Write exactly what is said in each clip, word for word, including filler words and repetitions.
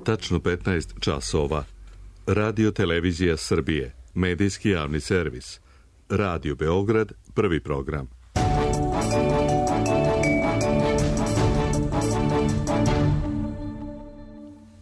Tačno petnaest časova. Radio Televizija Srbije, medijski javni servis. Radio Beograd, prvi program.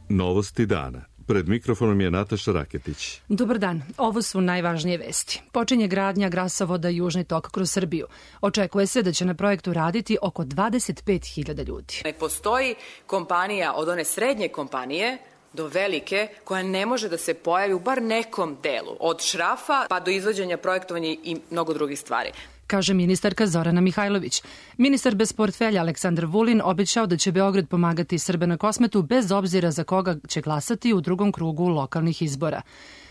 Novosti dana. Pred mikrofonom je Nataša Raketić. Dobar dan. Ovo su najvažnije vesti. Počinje gradnja gasovoda Južni tok kroz Srbiju. Očekuje se da će na projektu raditi oko dvadeset pet hiljada ljudi. Ne postoji kompanija od one srednje kompanije do velike koja ne može da se pojavi u bar nekom delu. Od šrafa pa do izvođenja projektovanja i mnogo drugih stvari, kaže ministarka Zorana Mihajlović. Ministar bez portfelja Aleksandar Vulin obećao da će Beograd pomagati Srbe na Kosmetu bez obzira za koga će glasati u drugom krugu lokalnih izbora.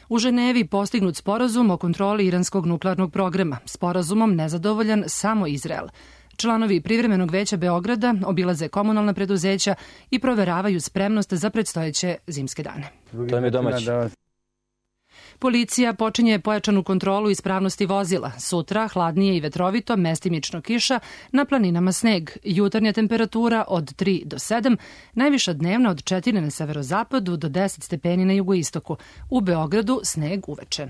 U Ženevi postignut sporazum o kontroli iranskog nuklearnog programa. Sporazumom nezadovoljan samo Izrael. Članovi Privremenog veća Beograda obilaze komunalna preduzeća i proveravaju spremnost za predstojeće zimske dane. To je domaći. Policija počinje pojačanu kontrolu ispravnosti vozila. Sutra hladnije i vetrovito, mestimično kiša, na planinama sneg. Jutarnja temperatura od tri do sedam, najviša dnevna od četiri na severozapadu do deset stepeni na jugoistoku. U Beogradu sneg uveče.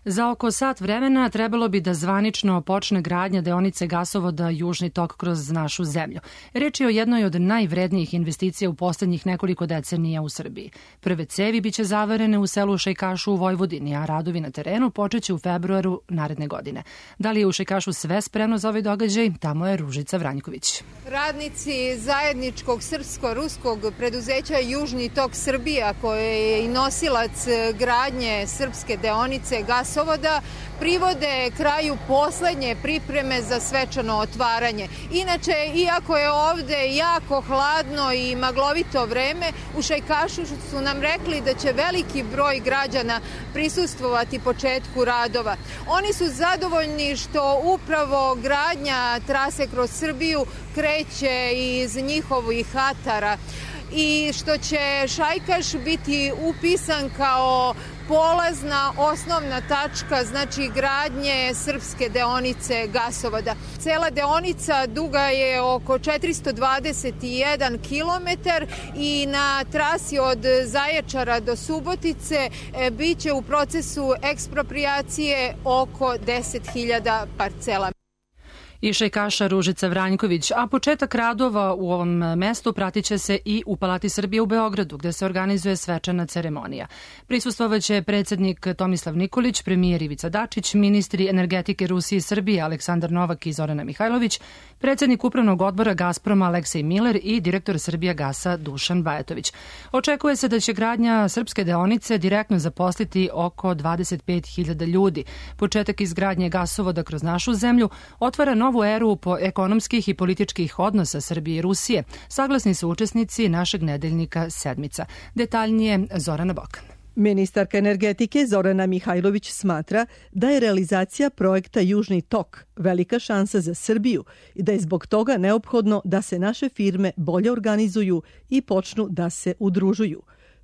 Za oko sat vremena trebalo bi da zvanično počne gradnja deonice gasovoda Južni tok kroz našu zemlju. Reč je o jednoj od najvrednijih investicija u poslednjih nekoliko decenija u Srbiji. Prve cevi biće zavarene u selu Šajkašu u Vojvodini, a radovi na terenu počeće u februaru naredne godine. Da li je u Šajkašu sve spremno za ovaj događaj? Tamo je Ružica Vranjković. Radnici zajedničkog srpsko-ruskog preduzeća Južni tok Srbija, koje je i nosilac gradnje srpske deonice gasovoda, gasovoda privode kraju poslednje pripreme za svečano otvaranje. Inače, iako je ovde jako hladno i maglovito vreme, u Šajkašu su nam rekli da će veliki broj građana prisustvovati početku radova. Oni su zadovoljni što upravo gradnja trase kroz Srbiju kreće iz njihovih atara i što će Šajkaš biti upisan kao polazna osnovna tačka, znači gradnje srpske deonice gasovoda. Cela deonica duga je oko četiristo dvadeset jedan kilometar i na trasi od Zaječara do Subotice biće u procesu eksproprijacije oko deset hiljada parcela. I Šajkaša Ružica Vranjković, a početak radova u ovom mestu pratit će se i u Palati Srbije u Beogradu, gde se organizuje svečana ceremonija. Prisustvovaće predsednik Tomislav Nikolić, premijer Ivica Dačić, ministri energetike Rusije i Srbije Aleksandar Novak i Zorana Mihajlović, predsednik Upravnog odbora Gazproma Aleksej Miler i direktor Srbijagasa Dušan Bajatović. Očekuje se da će gradnja srpske deonice direktno zaposliti oko dvadeset pet hiljada ljudi. Početak izgradnje gasovoda kroz našu zemlju otvara novu novu eru po ekonomskih i političkih odnosa Srbije i Rusije, saglasni su učesnici našeg nedeljnika Sedmica. Detaljnije Zorana Bokan. Ministarka energetike Zorana Mihajlović smatra da je realizacija projekta Južni tok velika šansa za Srbiju i da je zbog toga neophodno da se naše firme bolje organizuju i počnu da se udružuju.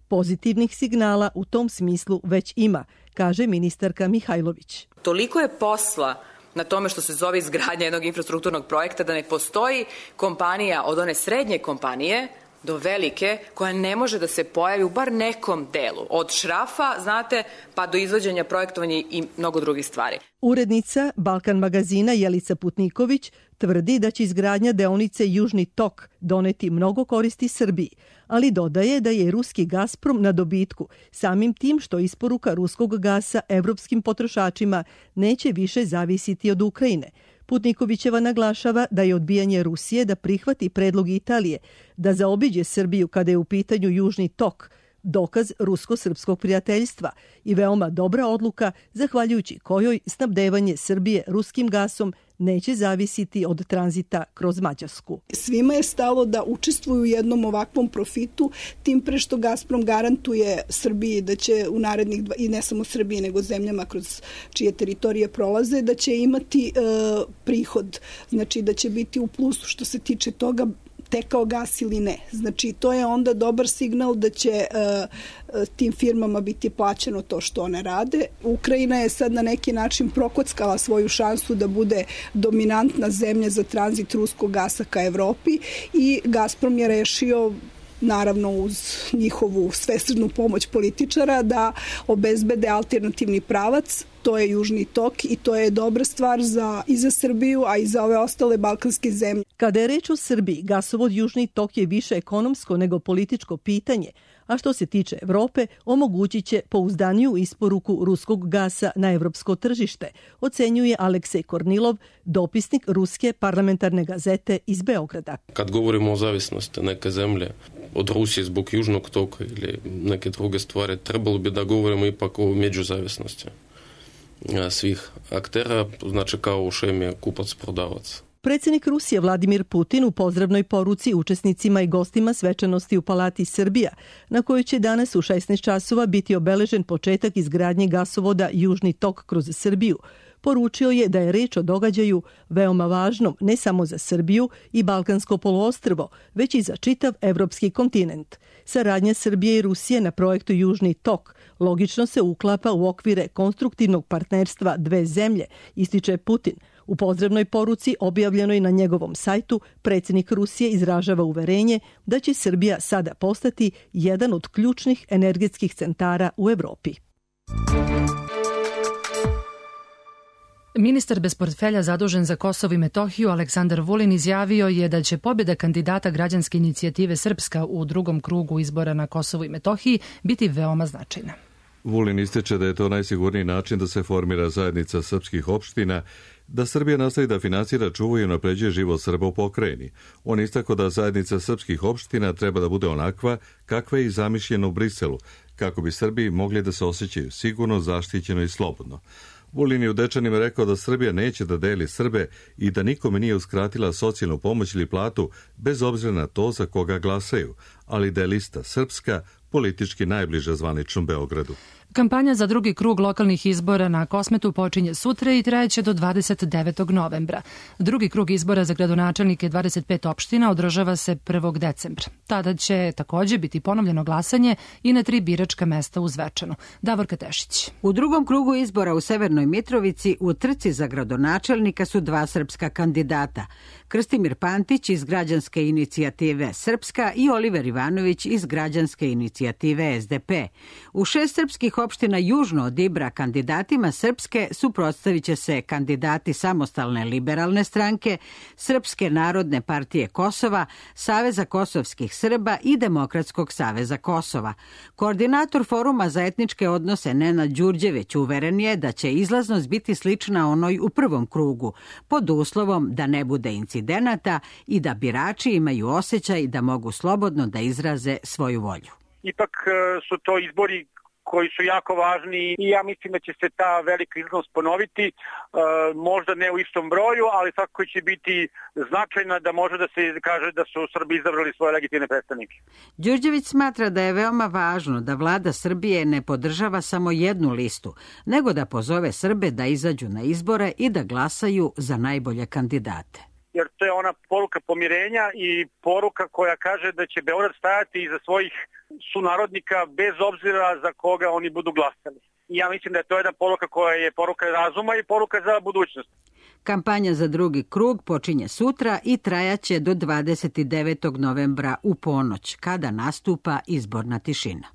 Pozitivnih signala u tom smislu već ima, kaže ministarka Mihajlović. Toliko je posla na tome što se zove izgradnja jednog infrastrukturnog projekta da ne postoji kompanija od one srednje kompanije do velike koja ne može da se pojavi u bar nekom delu. Od šrafa, znate, pa do izvođenja projektovanja i mnogo drugih stvari. Urednica Balkan magazina Jelica Putniković tvrdi da će izgradnja deonice Južni tok doneti mnogo koristi Srbiji, ali dodaje da je ruski Gazprom na dobitku, samim tim što isporuka ruskog gasa evropskim potrošačima neće više zavisiti od Ukrajine. Putnikovićeva naglašava da je odbijanje Rusije da prihvati predlog Italije da zaobiđe Srbiju kada je u pitanju Južni tok, dokaz rusko-srpskog prijateljstva i veoma dobra odluka zahvaljujući kojoj snabdevanje Srbije ruskim gasom neće zavisiti od tranzita kroz Mađarsku. Svima je stalo da učestvuju u jednom ovakvom profitu, tim pre što Gazprom garantuje Srbiji da će u narednih, dva, i ne samo Srbiji, nego zemljama kroz čije teritorije prolaze, da će imati e, prihod, znači da će biti u plusu što se tiče toga. tekao gas ili ne. Znači, to je onda dobar signal da će uh, tim firmama biti plaćeno to što one rade. Ukrajina je sad na neki način prokockala svoju šansu da bude dominantna zemlja za tranzit ruskog gasa ka Evropi i Gazprom je rešio, naravno uz njihovu svesrdnu pomoć političara, da obezbede alternativni pravac. To je Južni tok i to je dobra stvar za, i za Srbiju, a i za ove ostale balkanske zemlje. Kada je reč o Srbiji, gasovod Južni tok je više ekonomsko nego političko pitanje, a što se tiče Evrope, omogućit će pouzdaniju isporuku ruskog gasa na evropsko tržište, ocenjuje Aleksej Kornilov, dopisnik Ruske parlamentarne gazete iz Beograda. Kad govorimo o zavisnosti neke zemlje od Rusije zbog Južnog toka ili neke druge stvari, trebalo bi da govorimo ipak o međuzavisnosti svih aktera, znači kao u šemi kupac-prodavac. Predsjednik Rusije Vladimir Putin u pozdravnoj poruci učesnicima i gostima svečanosti u Palati Srbija, na kojoj će danas u šesnaest časova biti obeležen početak izgradnje gasovoda Južni tok kroz Srbiju, poručio je da je reč o događaju veoma važnom ne samo za Srbiju i Balkansko poluostrvo, već i za čitav evropski kontinent. Saradnja Srbije i Rusije na projektu Južni tok logično se uklapa u okvire konstruktivnog partnerstva dve zemlje, ističe Putin. U pozdravnoj poruci objavljenoj na njegovom sajtu, predsjednik Rusije izražava uverenje da će Srbija sada postati jedan od ključnih energetskih centara u Evropi. Ministar bez portfelja zadužen za Kosovo i Metohiju Aleksandar Vulin izjavio je da će pobjeda kandidata građanske inicijative Srpska u drugom krugu izbora na Kosovu i Metohiji biti veoma značajna. Vulin ističe da je to najsigurniji način da se formira zajednica srpskih opština, da Srbija nastavi da finansira, čuva i unapređuje život Srba u pokrajini. On istakao da zajednica srpskih opština treba da bude onakva kakva je i zamišljena u Briselu, kako bi Srbi mogli da se osjećaju sigurno, zaštićeno i slobodno. Vulin je u Dečanima rekao da Srbija neće da deli Srbe i da nikome nije uskratila socijalnu pomoć ili platu bez obzira na to za koga glasaju, ali da je lista srpska politički najbliža zvaničnom Beogradu. Kampanja za drugi krug lokalnih izbora na Kosmetu počinje sutra i trajeće do dvadeset devetog novembra. Drugi krug izbora za gradonačelnike dvadeset pet opština održava se prvog decembra. Tada će takođe biti ponovljeno glasanje i na tri biračka mesta u Zvečanu. Davorka Tešić. U drugom krugu izbora u Severnoj Mitrovici u trci za gradonačelnika su dva srpska kandidata. Krstimir Pantić iz građanske inicijative Srpska i Oliver Ivanović iz građanske inicijative S D P. U šest srpskih opština južno od Ibra kandidatima Srpske suprotstavit će se kandidati Samostalne liberalne stranke, Srpske narodne partije Kosova, Saveza kosovskih Srba i Demokratskog saveza Kosova. Koordinator Foruma za etničke odnose Nenad Đurđević uveren je da će izlaznost biti slična onoj u prvom krugu, pod uslovom da ne bude incidenata i da birači imaju osjećaj da mogu slobodno da izraze svoju volju. Ipak su to izbori koji su jako važni i ja mislim da će se ta velika izlaznost ponoviti, e, možda ne u istom broju, ali svakako će biti značajna da može da se kaže da su Srbi izabrali svoje legitimne predstavnike. Đurđević smatra da je veoma važno da vlada Srbije ne podržava samo jednu listu, nego da pozove Srbe da izađu na izbore i da glasaju za najbolje kandidate. Jer to je ona poruka pomirenja i poruka koja kaže da će Beograd stajati iza svojih sunarodnika bez obzira za koga oni budu glasali. I ja mislim da je to jedna poruka koja je poruka razuma i poruka za budućnost. Kampanja za drugi krug počinje sutra i trajaće do dvadeset devetog novembra u ponoć, kada nastupa izborna tišina.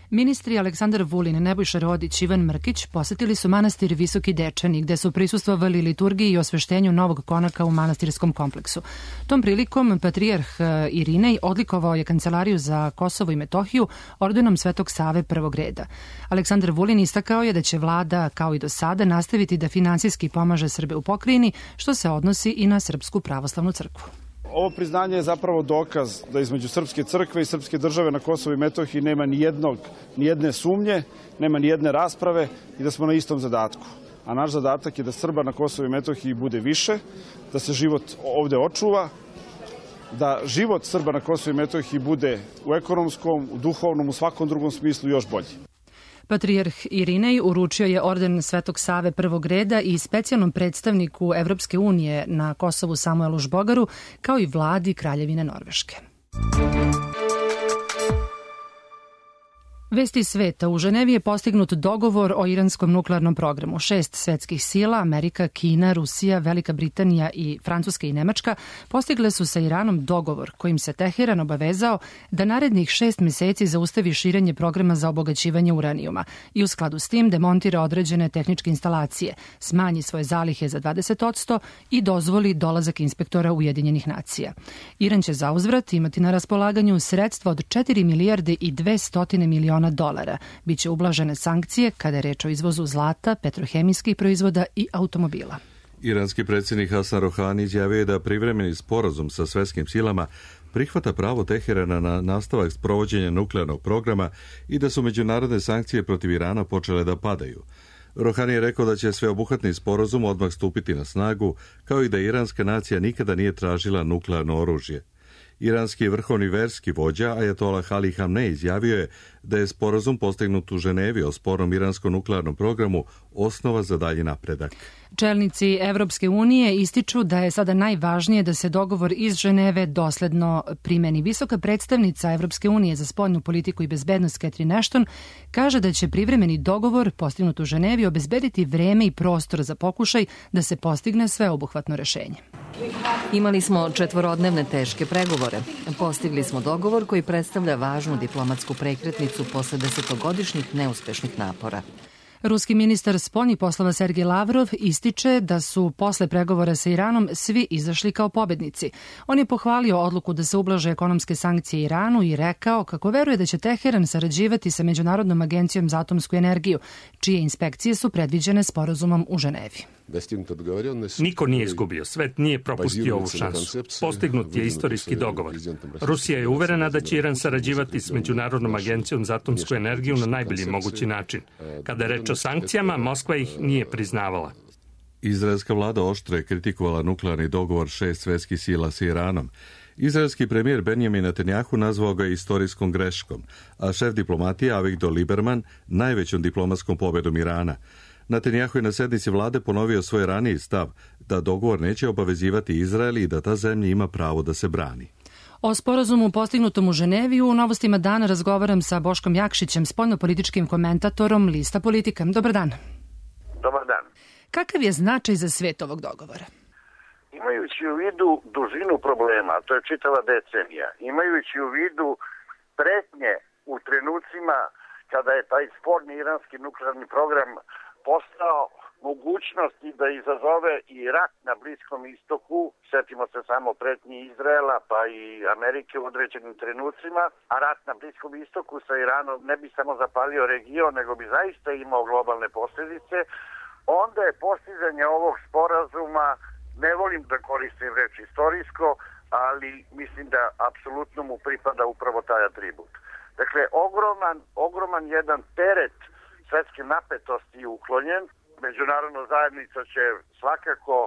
Ministri Aleksandar Vulin, Nebojša Rodić i Ivan Mrkić posetili su manastir Visoki Dečani, gde su prisustvovali liturgiji i osveštenju novog konaka u manastirskom kompleksu. Tom prilikom patrijarh Irinej odlikovao je Kancelariju za Kosovo i Metohiju ordenom Svetog Save prvog reda. Aleksandar Vulin istakao je da će vlada, kao i do sada, nastaviti da finansijski pomaže Srbe u pokrajini, što se odnosi i na Srpsku pravoslavnu crkvu. Ovo priznanje je zapravo dokaz da između Srpske crkve i Srpske države na Kosovu i Metohiji nema ni jednog, ni jedne sumnje, nema ni jedne rasprave i da smo na istom zadatku. A naš zadatak je da Srba na Kosovu i Metohiji bude više, da se život ovde očuva, da život Srba na Kosovu i Metohiji bude u ekonomskom, u duhovnom, u svakom drugom smislu još bolji. Patrijarh Irinej uručio je orden Svetog Save prvog reda i specijalnom predstavniku Evropske unije na Kosovu Samuelu Žbogaru, kao i vladi Kraljevine Norveške. Vesti sveta. U Ženevi je postignut dogovor o iranskom nuklearnom programu. Šest svetskih sila, Amerika, Kina, Rusija, Velika Britanija i Francuska i Nemačka, postigle su sa Iranom dogovor kojim se Teheran obavezao da narednih šest meseci zaustavi širenje programa za obogaćivanje uranijuma i u skladu s tim demontira određene tehničke instalacije, smanji svoje zalihe za dvadeset posto i dozvoli dolazak inspektora Ujedinjenih nacija. Iran će zauzvrat imati na raspolaganju sredstva od četiri milijarde i dvesta miliona dolara. Biće ublažene sankcije kada je reč o izvozu zlata, petrohemijskih proizvoda i automobila. Iranski predsjednik Hasan Rohani izjavio je da privremeni sporazum sa svetskim silama prihvata pravo Teherana na nastavak sprovođenja nuklearnog programa i da su međunarodne sankcije protiv Irana počele da padaju. Rohani je rekao da će sveobuhvatni sporazum odmah stupiti na snagu, kao i da iranska nacija nikada nije tražila nuklearno oružje. Iranski vrhovni verski vođa Ajatolah Ali Hamnej izjavio je da je sporazum postignut u Ženevi o spornom iranskom nuklearnom programu osnova za dalji napredak. Čelnici Evropske unije ističu da je sada najvažnije da se dogovor iz Ženeve dosledno primeni. Visoka predstavnica Evropske unije za spoljnu politiku i bezbednost Catherine Ashton kaže da će privremeni dogovor postignut u Ženevi obezbediti vreme i prostor za pokušaj da se postigne sveobuhvatno rešenje. Imali smo četvorodnevne teške pregovore. Postigli smo dogovor koji predstavlja važnu diplomatsku prekretnicu posle desetogodišnjih neuspešnih napora. Ruski ministar spoljnih poslova Sergej Lavrov ističe da su posle pregovora sa Iranom svi izašli kao pobednici. On je pohvalio odluku da se ublaže ekonomske sankcije Iranu i rekao kako veruje da će Teheran sarađivati sa Međunarodnom agencijom za atomsku energiju, čije inspekcije su predviđene sporazumom u Ženevi. Niko nije izgubio, svet nije propustio ovu šansu. Postignut je istorijski dogovor. Rusija je uverena da će Iran sarađivati s Međunarodnom agencijom za atomsku energiju na najbolji mogući način. Kada je reč o sankcijama, Moskva ih nije priznavala. Izraelska vlada oštro je kritikovala nuklearni dogovor šest svetskih sila sa Iranom. Izraelski premijer Benjamin Netanjahu nazvao ga istorijskom greškom, a šef diplomatije Avigdor Lieberman najvećom diplomatskom pobedom Irana. Netanjahu je na sednici vlade ponovio svoj raniji stav da dogovor neće obavezivati Izrael i da ta zemlja ima pravo da se brani. O sporazumu postignutom u Ženevi u Novostima dana razgovaram sa Boškom Jakšićem, spoljnopolitičkim komentatorom Lista Politika. Dobar dan. Dobar dan. Kakav je značaj za svet ovog dogovora? Imajući u vidu dužinu problema, to je čitava decenija, imajući u vidu pretnje u trenucima kada je taj sporni iranski nuklearni program postao mogućnosti da izazove i rat na Bliskom istoku, setimo se samo pretnji Izraela pa i Amerike u određenim trenucima, a rat na Bliskom istoku sa Iranom ne bi samo zapalio region, nego bi zaista imao globalne posljedice, onda je postizanje ovog sporazuma, ne volim da koristim reč istorijsko, ali mislim da apsolutno mu pripada upravo taj atribut. Dakle, ogroman, ogroman jedan teret svetske napetosti je uklonjen. Međunarodna zajednica će svakako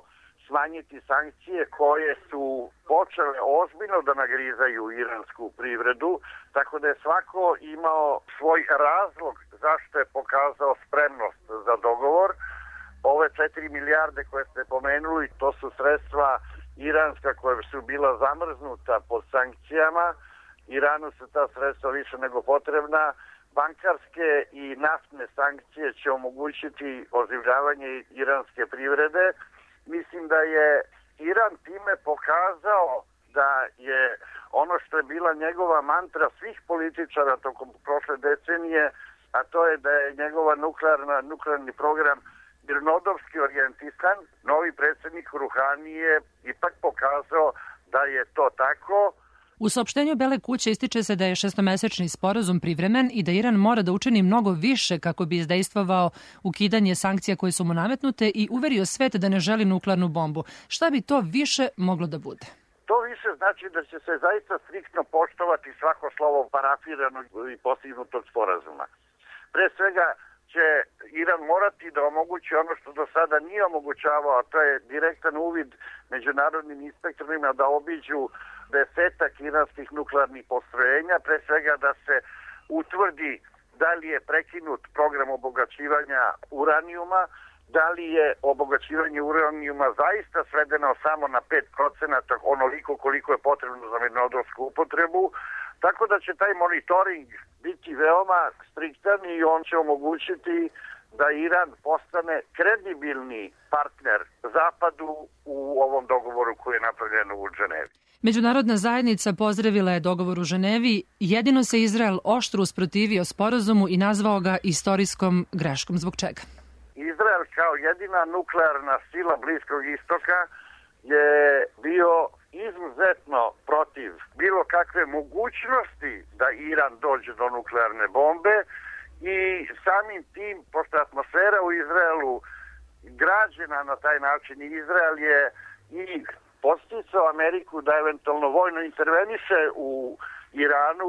smanjiti sankcije koje su počele ozbiljno da nagrizaju iransku privredu, tako da je svako imao svoj razlog zašto je pokazao spremnost za dogovor. Ove četiri milijarde koje ste pomenuli, to su sredstva iranska koja su bila zamrznuta pod sankcijama. Iranu su ta sredstva više nego potrebna. Bankarske i naftne sankcije će omogućiti oživljavanje iranske privrede. Mislim da je Iran time pokazao da je ono što je bila njegova mantra svih političara tokom prošle decenije, a to je da je njegova nuklearna, nuklearni program mirnodopski orijentisan. Novi predsjednik Ruhani je ipak pokazao da je to tako. U saopštenju Bele kuće ističe se da je šestomesečni sporazum privremen i da Iran mora da učini mnogo više kako bi izdejstvovao ukidanje sankcija koje su mu nametnute i uverio svet da ne želi nuklearnu bombu. Šta bi to više moglo da bude? To više znači da će se zaista striktno poštovati svako slovo parafiranog i postignutog sporazuma. Pre svega će Iran morati da omogući ono što do sada nije omogućavao, a to je direktan uvid međunarodnim inspektorima da obiđu desetak iranskih nuklearnih postrojenja, pre svega da se utvrdi da li je prekinut program obogaćivanja uranijuma, da li je obogaćivanje uranijuma zaista svedeno samo na pet procenata, onoliko koliko je potrebno za mirnodopsku upotrebu, tako da će taj monitoring biti veoma striktan i on će omogućiti da Iran postane kredibilni partner Zapadu u ovom dogovoru koji je napravljen u Ženevi. Međunarodna zajednica pozdravila je dogovor u Ženevi, jedino se Izrael oštro usprotivio sporazumu i nazvao ga istorijskom greškom. Zbog čega? Izrael kao jedina nuklearna sila Bliskog istoka je bio izuzetno protiv bilo kakve mogućnosti da Iran dođe do nuklearne bombe i samim tim, pošto atmosfera u Izraelu građena na taj način, Izrael je i posticao Ameriku da eventualno vojno interveniše u Iranu.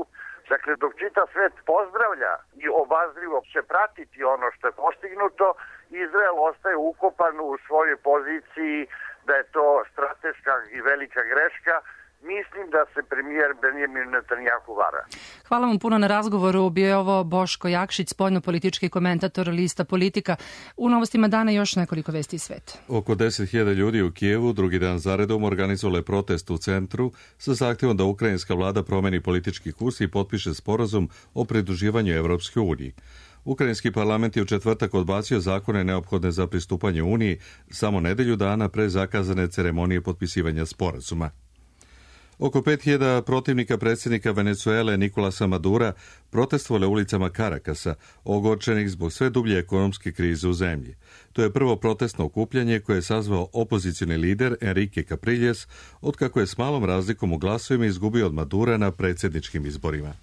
Dakle, dok čitav svet pozdravlja i obazrivo će pratiti ono što je postignuto, Izrael ostaje ukopan u svojoj poziciji da je to strateška i velika greška. Mislim da se premijer Benjamin Netanjahu vara. Hvala vam puno na razgovoru. Bio je ovo Boško Jakšić, spoljnopolitički komentator Lista Politika. U novostima dana još nekoliko vesti iz sveta. Oko deset hiljada ljudi u Kijevu drugi dan zaredom organizovale protest u centru sa zahtjevom da ukrajinska vlada promeni politički kurs i potpiše sporazum o pridruživanju Evropskoj uniji. Ukrajinski parlament je u četvrtak odbacio zakone neophodne za pristupanje Uniji samo nedelju dana pre zakazane ceremonije potpisivanja sporazuma. Oko pet hiljada protivnika predsjednika Venezuele Nicolasa Madura protestovale ulicama Karakasa, ogorčenih zbog sve dublje ekonomske krize u zemlji. To je prvo protestno okupljanje koje je sazvao opozicioni lider Enrique Capriles, otkako je s malom razlikom u glasovima izgubio od Madura na predsjedničkim izborima.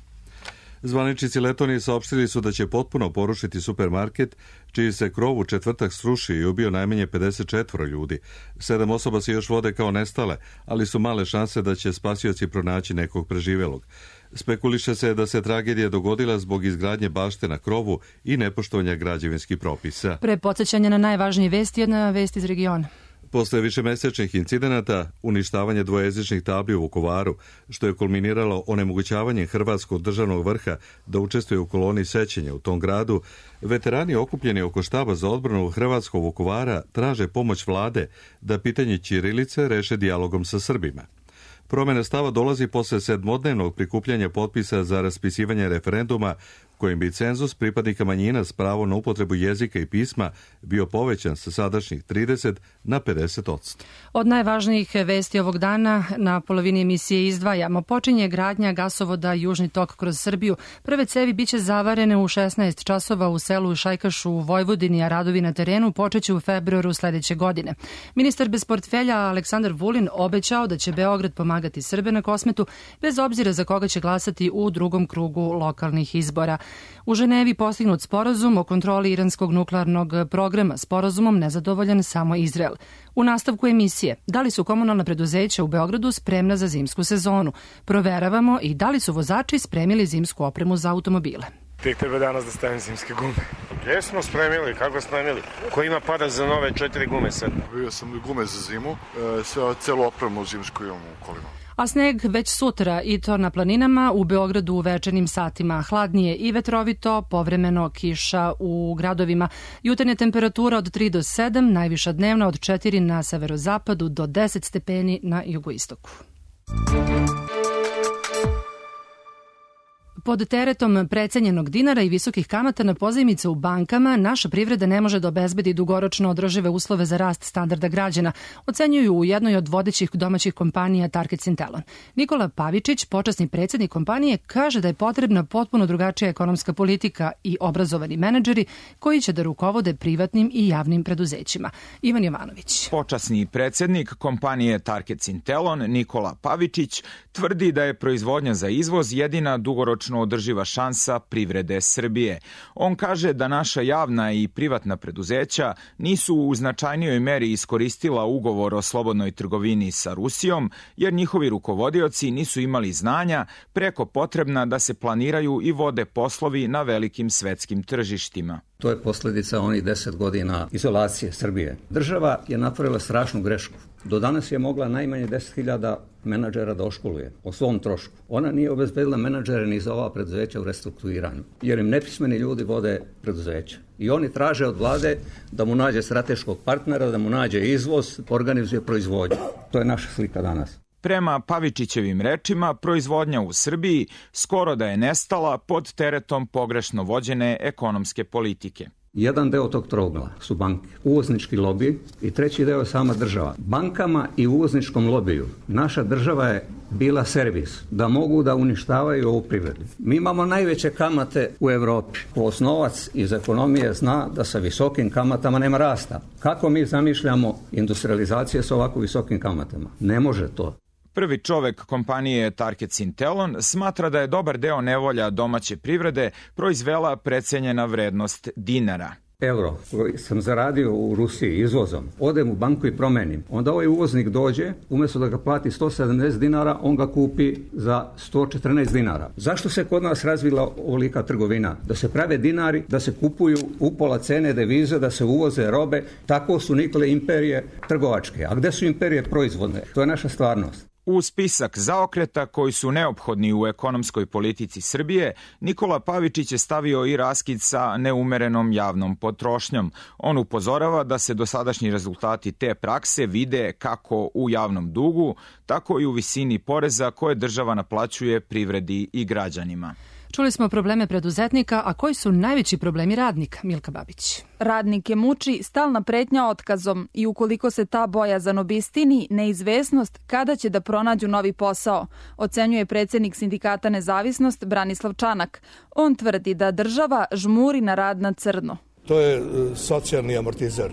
Zvaničnici Letonije saopštili su da će potpuno porušiti supermarket, čiji se krov u četvrtak srušio i ubio najmanje pedeset četiri ljudi. Sedam osoba se još vode kao nestale, ali su male šanse da će spasioci pronaći nekog preživelog. Spekuliše se da se tragedija dogodila zbog izgradnje bašte na krovu i nepoštovanja građevinskih propisa. Pre podsjećanja na najvažnije vesti, jedna vest iz regiona. Posle višemesečnih incidenata, uništavanje dvojezičnih tabli u Vukovaru, što je kulminiralo onemogućavanjem hrvatskog državnog vrha da učestvuje u koloni sećenja u tom gradu, veterani okupljeni oko štaba za odbranu hrvatskog Vukovara traže pomoć vlade da pitanje ćirilice reše dijalogom sa Srbima. Promjena stava dolazi posle sedmodnevnog prikupljanja potpisa za raspisivanje referenduma kojim bi cenzus pripadnika manjina s pravom na upotrebu jezika i pisma bio povećan sa sadašnjih trideset na pedeset odsto. Od najvažnijih vesti ovog dana na polovini emisije izdvajamo. Počinje gradnja gasovoda Južni tok kroz Srbiju. Prve cevi biće zavarene u šesnaest časova u selu Šajkašu u Vojvodini, a radovi na terenu počeće u februaru sledeće godine. Ministar bez portfelja Aleksandar Vulin obećao da će Beograd pomagati Srbe na Kosmetu bez obzira za koga će glasati u drugom krugu lokalnih izbora. U Ženevi postignut sporazum o kontroli iranskog nuklearnog programa. Sporazumom nezadovoljan samo Izrael. U nastavku emisije, da li su komunalna preduzeća u Beogradu spremna za zimsku sezonu? Proveravamo i da li su vozači spremili zimsku opremu za automobile. Tek treba danas da stavim zimske gume. Gdje smo spremili? Kako spremili? Ko ima para za nove četiri gume sad? Bio sam gume za zimu, sve celu opremu zimsku imamo u kolima. A sneg već sutra i to na planinama, u Beogradu u večernjim satima. Hladnije i vetrovito, povremeno kiša u gradovima. Jutarnja temperatura od tri do sedam, najviša dnevna od četiri na severozapadu do deset stepeni na jugoistoku. Pod teretom precenjenog dinara i visokih kamata na pozajmice u bankama, naša privreda ne može da obezbedi dugoročno održive uslove za rast standarda građana, ocenjuju u jednoj od vodećih domaćih kompanija Target Sintelon. Nikola Pavičić, počasni predsjednik kompanije, kaže da je potrebna potpuno drugačija ekonomska politika i obrazovani menadžeri koji će da rukovode privatnim i javnim preduzećima. Ivan Jovanović. Počasni predsjednik kompanije Target Sintelon, Nikola Pavičić, tvrdi da je proizvodnja za izvoz jedina dugoročno održiva šansa privrede Srbije. On kaže da naša javna i privatna preduzeća nisu u značajnijoj meri iskoristila ugovor o slobodnoj trgovini sa Rusijom, jer njihovi rukovodioci nisu imali znanja preko potrebna da se planiraju i vode poslovi na velikim svetskim tržištima. To je posljedica onih deset godina izolacije Srbije. Država je napravila strašnu grešku. Do danas je mogla najmanje deset hiljada menadžera da oškoluje o svom trošku. Ona nije obezbedila menadžere ni za ova preduzeća u restrukturiranju, jer im nepismeni ljudi vode preduzeća. I oni traže od vlade da mu nađe strateškog partnera, da mu nađe izvoz, organizuje proizvodnju. To je naša slika danas. Prema Pavičićevim rečima, proizvodnja u Srbiji skoro da je nestala pod teretom pogrešno vođene ekonomske politike. Jedan deo tog trougla su banke, uvoznički lobij i treći deo je sama država. Bankama i uvozničkom lobiju naša država je bila servis da mogu da uništavaju ovu privredu. Mi imamo najveće kamate u Evropi. Osnovac iz ekonomije zna da sa visokim kamatama nema rasta. Kako mi zamišljamo industrializacije sa ovako visokim kamatama? Ne može to. Prvi čovek kompanije Target Sintelon smatra da je dobar deo nevolja domaće privrede proizvela precenjena vrednost dinara. Euro koji sam zaradio u Rusiji izvozom, odem u banku i promenim. Onda ovaj uvoznik dođe, umjesto da ga plati sto sedamdeset dinara, on ga kupi za sto četrnaest dinara. Zašto se kod nas razvila ovolika trgovina? Da se prave dinari, da se kupuju upola cene devize, da se uvoze robe. Tako su nikle imperije trgovačke. A gde su imperije proizvodne? To je naša stvarnost. U spisak zaokreta koji su neophodni u ekonomskoj politici Srbije, Nikola Pavičić je stavio i raskid sa neumerenom javnom potrošnjom. On upozorava da se dosadašnji rezultati te prakse vide kako u javnom dugu, tako i u visini poreza koje država naplaćuje privredi i građanima. Čuli smo probleme preduzetnika, a koji su najveći problemi radnika? Milka Babić. Radnike muči stalna pretnja otkazom i ukoliko se ta bojazan obistini, neizvesnost kada će da pronađu novi posao, ocenjuje predsjednik sindikata Nezavisnost Branislav Čanak. On tvrdi da država žmuri na rad na crno. To je socijalni amortizer.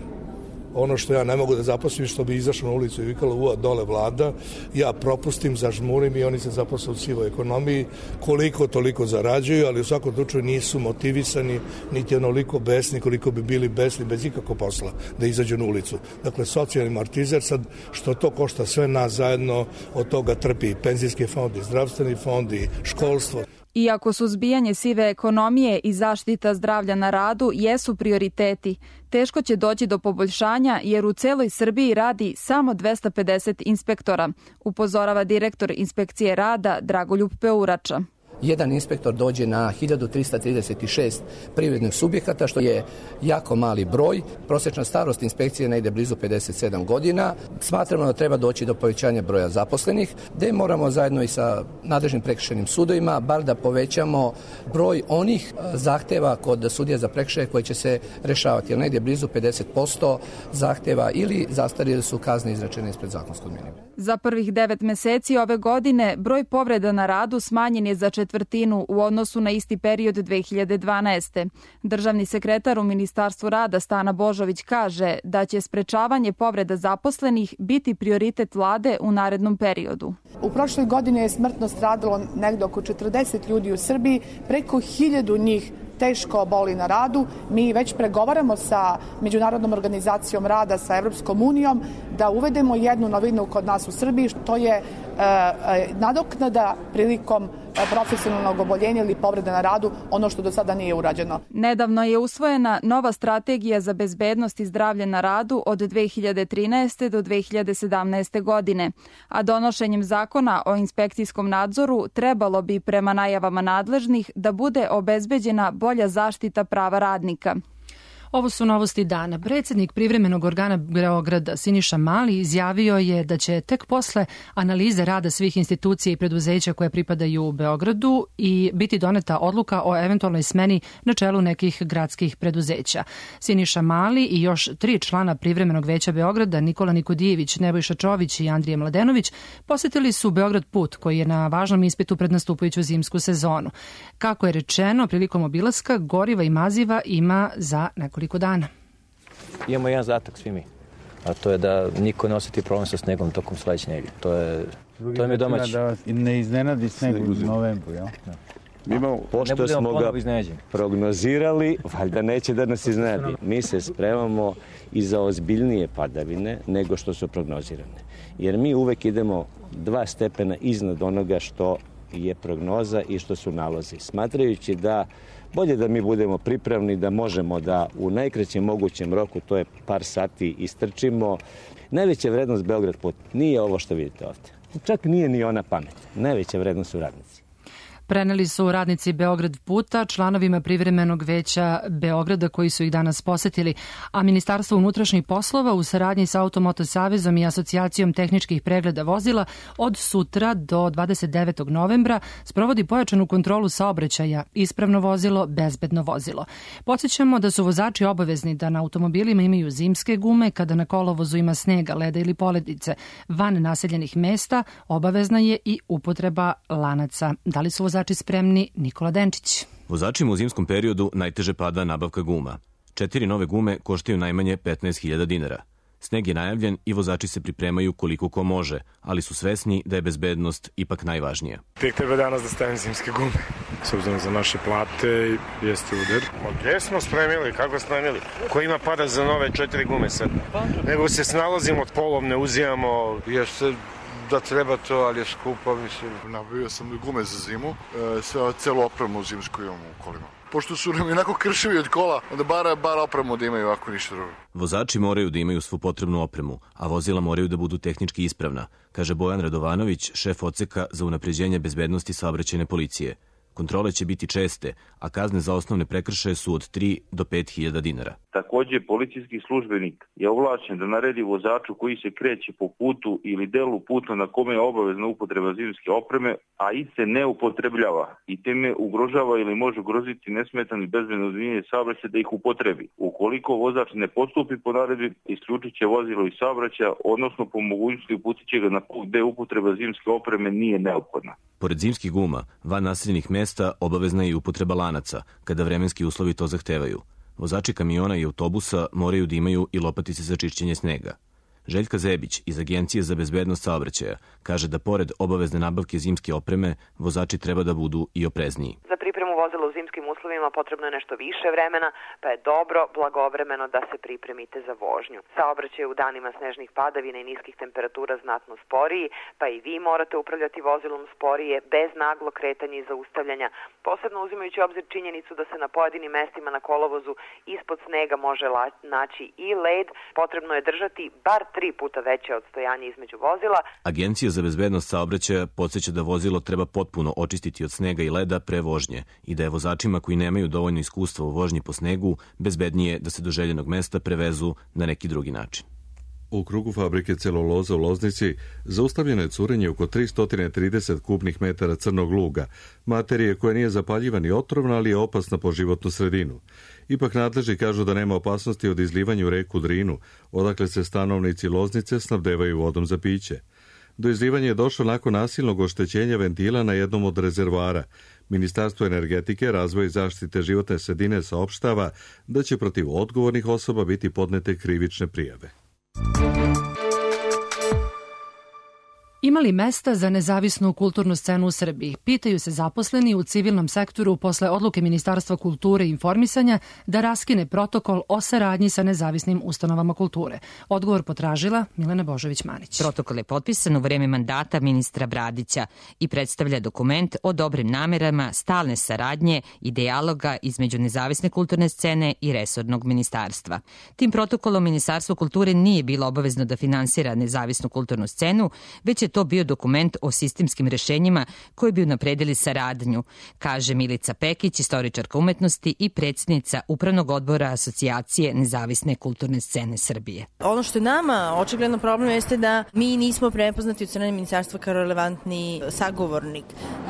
Ono što ja ne mogu da zaposlim, što bi izašao na ulicu i vikalo uva dole vlada, ja propustim, zažmurim i oni se zaposle u sivoj ekonomiji, koliko toliko zarađuju, ali u svakom slučaju nisu motivisani, niti onoliko besni koliko bi bili besni bez ikakvog posla da izađu na ulicu. Dakle, socijalni amortizer, sad što to košta sve nas zajedno, od toga trpi i penzijski fond, i zdravstveni fond, i školstvo. Iako suzbijanje sive ekonomije i zaštita zdravlja na radu jesu prioriteti, teško će doći do poboljšanja jer u celoj Srbiji radi samo dvesta pedeset inspektora, upozorava direktor inspekcije rada Dragoljub Peurača. Jedan inspektor dođe na hiljadu trista trideset šest privrednih subjekata, što je jako mali broj. Prosječna starost inspekcije negde blizu pedeset sedam godina. Smatramo da treba doći do povećanja broja zaposlenih, gde moramo zajedno i sa nadležnim prekršajnim sudovima bar da povećamo broj onih zahteva kod sudija za prekršaje koji će se rešavati. Jer negde blizu pedeset posto zahteva ili zastarjeli su kazne izrečene ispred zakonskog minimuma. Za prvih devet meseci ove godine broj povreda na radu smanjen je za četvrtinu u odnosu na isti period dve hiljade dvanaeste. Državni sekretar u Ministarstvu rada Stana Božović kaže da će sprečavanje povreda zaposlenih biti prioritet vlade u narednom periodu. U prošloj godini je smrtno stradalo negde oko četrdeset ljudi u Srbiji, preko hiljadu njih teško boli na radu. Mi već pregovaramo sa Međunarodnom organizacijom rada, sa Evropskom unijom, da uvedemo jednu novinu kod nas u Srbiji, što je e, e, nadoknada prilikom profesionalnog oboljenja ili povrede na radu, ono što do sada nije urađeno. Nedavno je usvojena nova strategija za bezbednost i zdravlje na radu od dve hiljade trinaeste do dve hiljade sedamnaeste godine, a donošenjem zakona o inspekcijskom nadzoru trebalo bi prema najavama nadležnih da bude obezbeđena bolja zaštita prava radnika. Ovo su novosti dana. Predsjednik privremenog organa Beograda Siniša Mali izjavio je da će tek posle analize rada svih institucija i preduzeća koje pripadaju u Beogradu i biti doneta odluka o eventualnoj smeni na čelu nekih gradskih preduzeća. Siniša Mali i još tri člana privremenog veća Beograda, Nikola Nikodijević, Nebojša Čović i Andrija Mladenović, posjetili su Beograd put koji je na važnom ispitu pred nastupajuću zimsku sezonu. Kako je rečeno, prilikom obilaska goriva i maziva ima za nekoliko dana. Imamo jedan zadatak svi mi, a to je da niko ne osjeti problem sa snegom tokom sledeće nedelje. To je, to je mi domaći. Da vas ne iznenadi sneg u novembru, jel? Mi imamo, pošto smo ga prognozirali, valjda neće da nas iznenadi. Mi se spremamo i za ozbiljnije padavine nego što su prognozirane. Jer mi uvek idemo dva stepena iznad onoga što je prognoza i što su nalozi. Smatrajući da Bolje da mi budemo pripravni, da možemo da u najkraćem mogućem roku, to je par sati, istrčimo. Najveća vrednost Beograd put nije ovo što vidite ovdje. Čak nije ni ona pamet. Najveća vrednost su radnici. Preneli su radnici Beograd puta članovima privremenog veća Beograda koji su ih danas posetili, a Ministarstvo unutrašnjih poslova u saradnji sa Automoto savezom i Asocijacijom tehničkih pregleda vozila od sutra do dvadeset devetog novembra sprovodi pojačanu kontrolu saobraćaja, ispravno vozilo, bezbedno vozilo. Podsjećamo da su vozači obavezni da na automobilima imaju zimske gume, kada na kolovozu ima snega, leda ili poledice. Van naseljenih mesta obavezna je i upotreba lanaca. Da li su vozači Vozači spremni? Nikola Denčić. Vozačima u zimskom periodu najteže pada nabavka guma. Četiri nove gume koštaju najmanje petnaest hiljada dinara. Sneg je najavljen i vozači se pripremaju koliko ko može, ali su svesni da je bezbednost ipak najvažnija. Tek treba danas da stavim zimske gume. S obzirom za naše plate jeste udar. Gdje smo spremili? Kako spremili? Ko ima para za nove četiri gume sad? Nego se snalazimo od polovne, uzimamo... Jeste da treba to, ali je skupo, mislim. Nabavio sam gume za zimu, e, sve celu opremu zimsku imamo u kolima. Pošto su nam inako krševi od kola, onda bar, bar opremu da imaju, ako ništa drugo. Vozači moraju da imaju svu potrebnu opremu, a vozila moraju da budu tehnički ispravna, kaže Bojan Radovanović, šef odseka za unapređenje bezbednosti saobraćajne policije. Kontrole će biti česte, a kazne za osnovne prekršaje su od tri do pet hiljada dinara. Također, policijski službenik je ovlašćen da naredi vozaču koji se kreće po putu ili delu puta na kome je obavezna upotreba zimske opreme, a i se ne upotrebljava i time ugrožava ili može ugroziti nesmetano i bezbedno odvijanje saobraćaja da ih upotrebi. Ukoliko vozač ne postupi po naredbi, isključit će vozilo iz saobraćaja, odnosno po mogućnosti uputit će ga na put gde upotreba zimske opreme nije neophodna. Pored zimskih guma, van naseljenih mesta obavezna je i upotreba lanaca, kada vremenski uslovi to zahtevaju. Vozači kamiona i autobusa moraju da imaju i lopatice za čišćenje snega. Željka Zebić iz Agencije za bezbednost saobraćaja kaže da pored obavezne nabavke zimske opreme, vozači treba da budu i oprezniji. Za pripremu vozila u zimskim uslovima potrebno je nešto više vremena, pa je dobro blagovremeno da se pripremite za vožnju. Saobraćaj u danima snežnih padavina i niskih temperatura znatno sporiji, pa i vi morate upravljati vozilom sporije, bez naglo kretanja i zaustavljanja, posebno uzimajući obzir činjenicu da se na pojedinim mestima na kolovozu ispod snega može naći i led. Potrebno je držati bar tri puta veće odstojanje između vozila. Agencija za bezbednost saobraćaja podsjeća da vozilo treba potpuno očistiti od snega i leda pre vožnje i da je vozačima koji nemaju dovoljno iskustva u vožnji po snegu bezbednije da se do željenog mesta prevezu na neki drugi način. U krugu fabrike celuloza u Loznici zaustavljeno je curenje oko tristo trideset kubnih metara crnog luga, materije koja nije zapaljiva ni otrovna, ali je opasna po životnu sredinu. Ipak nadležni kažu da nema opasnosti od izlivanja u reku Drinu, odakle se stanovnici Loznice snabdevaju vodom za piće. Do izlivanja je došlo nakon nasilnog oštećenja ventila na jednom od rezervoara. Ministarstvo energetike, razvoja i zaštite životne sredine saopštava da će protiv odgovornih osoba biti podnete krivične prijave. Ima li mesta za nezavisnu kulturnu scenu u Srbiji? Pitaju se zaposleni u civilnom sektoru posle odluke Ministarstva kulture i informisanja da raskine protokol o saradnji sa nezavisnim ustanovama kulture. Odgovor potražila Milena Božović-Manić. Protokol je potpisan u vreme mandata ministra Bradića i predstavlja dokument o dobrim namerama, stalne saradnje i dijaloga između nezavisne kulturne scene i resornog ministarstva. Tim protokolom Ministarstvo kulture nije bilo obavezno da finansira nezavisnu kulturnu scenu, već je to bio dokument o sistemskim rešenjima koji bi unapredili saradnju, kaže Milica Pekić, istoričarka umetnosti i predsjednica Upravnog odbora Asocijacije nezavisne kulturne scene Srbije. Ono što je nama očigledno problem jeste da mi nismo prepoznati od strane ministarstva kao relevantni sagovornik.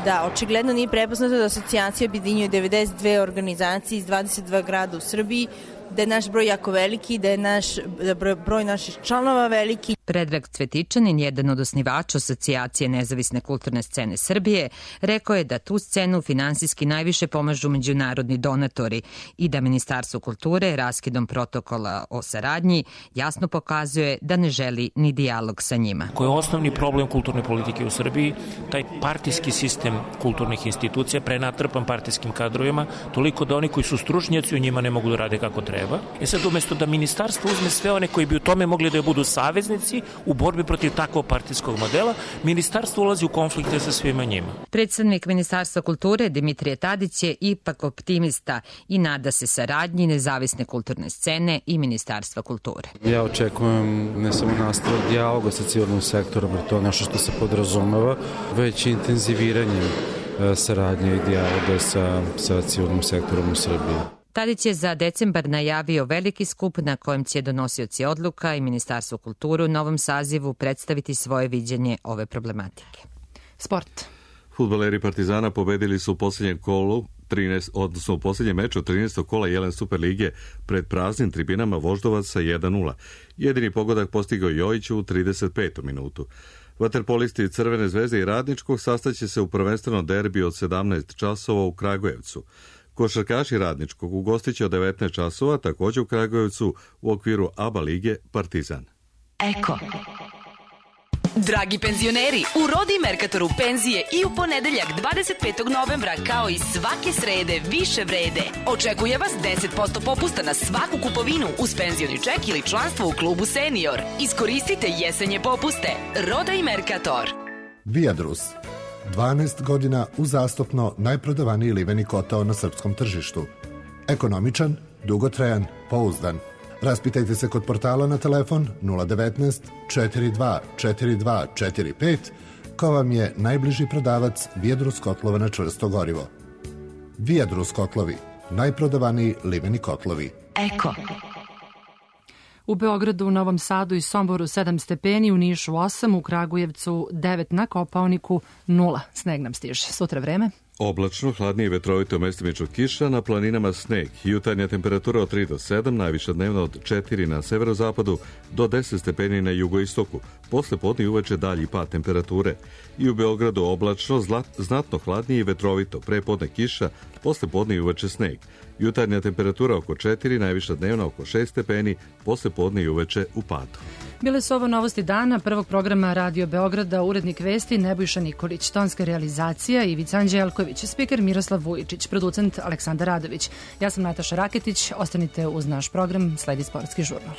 Da, očigledno nije prepoznato da asocijacija objedinjuje devedeset dve organizacije iz dvadeset dva grada u Srbiji, da je naš broj jako veliki, da je naš da broj, broj naših članova veliki. Predrag Cvetičanin, jedan od osnivača Asocijacije nezavisne kulturne scene Srbije, rekao je da tu scenu finansijski najviše pomažu međunarodni donatori i da Ministarstvo kulture raskidom protokola o saradnji jasno pokazuje da ne želi ni dijalog sa njima. Koji je osnovni problem kulturne politike u Srbiji? Taj partijski sistem kulturnih institucija prenatrpan partijskim kadrovima, toliko da oni koji su stručnjaci u njima ne mogu da rade kako treba. E sad, umjesto da ministarstvo uzme sve one koji bi u tome mogli da budu saveznici, opoziciji u borbi protiv takvog partijskog modela, ministarstvo ulazi u konflikte sa svima njima. Predsednik Ministarstva kulture Dimitrije Tadić je ipak optimista i nada se saradnji nezavisne kulturne scene i Ministarstva kulture. Ja očekujem ne samo nastavak dijaloga sa civilnim sektorom, jer to je nešto što se podrazumeva, već intenziviranjem saradnje i dijaloga sa, sa civilnim sektorom u Srbiji. Tadić je za decembar najavio veliki skup na kojem će donosioci odluka i Ministarstvo kulture u novom sazivu predstaviti svoje viđenje ove problematike. Sport. Fudbaleri Partizana pobedili su u posljednjem kolu trinaest, odnosno u posljednjem meču trinaestog kola Jelen Super lige pred praznim tribinama Voždovac sa jedan nula. Jedini pogodak postigao Jojić u trideset petu minutu. Vaterpolisti Crvene zvezde i Radničkog sastaće se u prvenstveno derbi od sedamnaest časova u Kragujevcu. Košarkaši Radničkog ugostiće od devetnaest časova također u Kragujevcu u okviru A B A lige Partizan. Eko. Dragi penzioneri, u Rodi Merkatoru penzije i u ponedeljak dvadeset petog novembra kao i svake srede više vrede. Očekuje vas deset posto popusta na svaku kupovinu uz penzioni ček ili članstvo u klubu Senior. Iskoristite jesenje popuste. Roda i Merkator. Viadrus. dvanaest godina uzastopno najprodavaniji liveni kotao na srpskom tržištu. Ekonomičan, dugotrajan, pouzdan. Raspitajte se kod portala na telefon nula devetnaest četrdeset dva četrdeset dva četrdeset pet, ko vam je najbliži prodavac Viadrus kotlova na čvrsto gorivo. Viadrus kotlovi, najprodavaniji liveni kotlovi. Eko. U Beogradu, u Novom Sadu i Somboru sedam stepeni, u Nišu osam, u Kragujevcu devet, na Kopaoniku nula. Sneg nam stiže. Sutra vreme. Oblačno, hladnije i vetrovito, mestimično kiša, na planinama sneg. Jutarnja temperatura od tri do sedam, najviša dnevna od četiri na severozapadu do deset stepeni na jugoistoku. Posle podne i uveče dalji pad temperature. I u Beogradu oblačno, zlat, znatno hladnije i vetrovito, pre podne kiša, posle podne i uveče sneg. Jutarnja temperatura oko četiri, najviša dnevna oko šest stepeni, posle podne i uveče u padu. Bile su ovo novosti dana prvog programa Radio Beograda, urednik vesti Nebojša Nikolić, tonska realizacija Ivica Anđelković, spiker Miroslav Vujičić, producent Aleksandar Radović. Ja sam Nataša Raketić, ostanite uz naš program, sledi Sportski žurnal.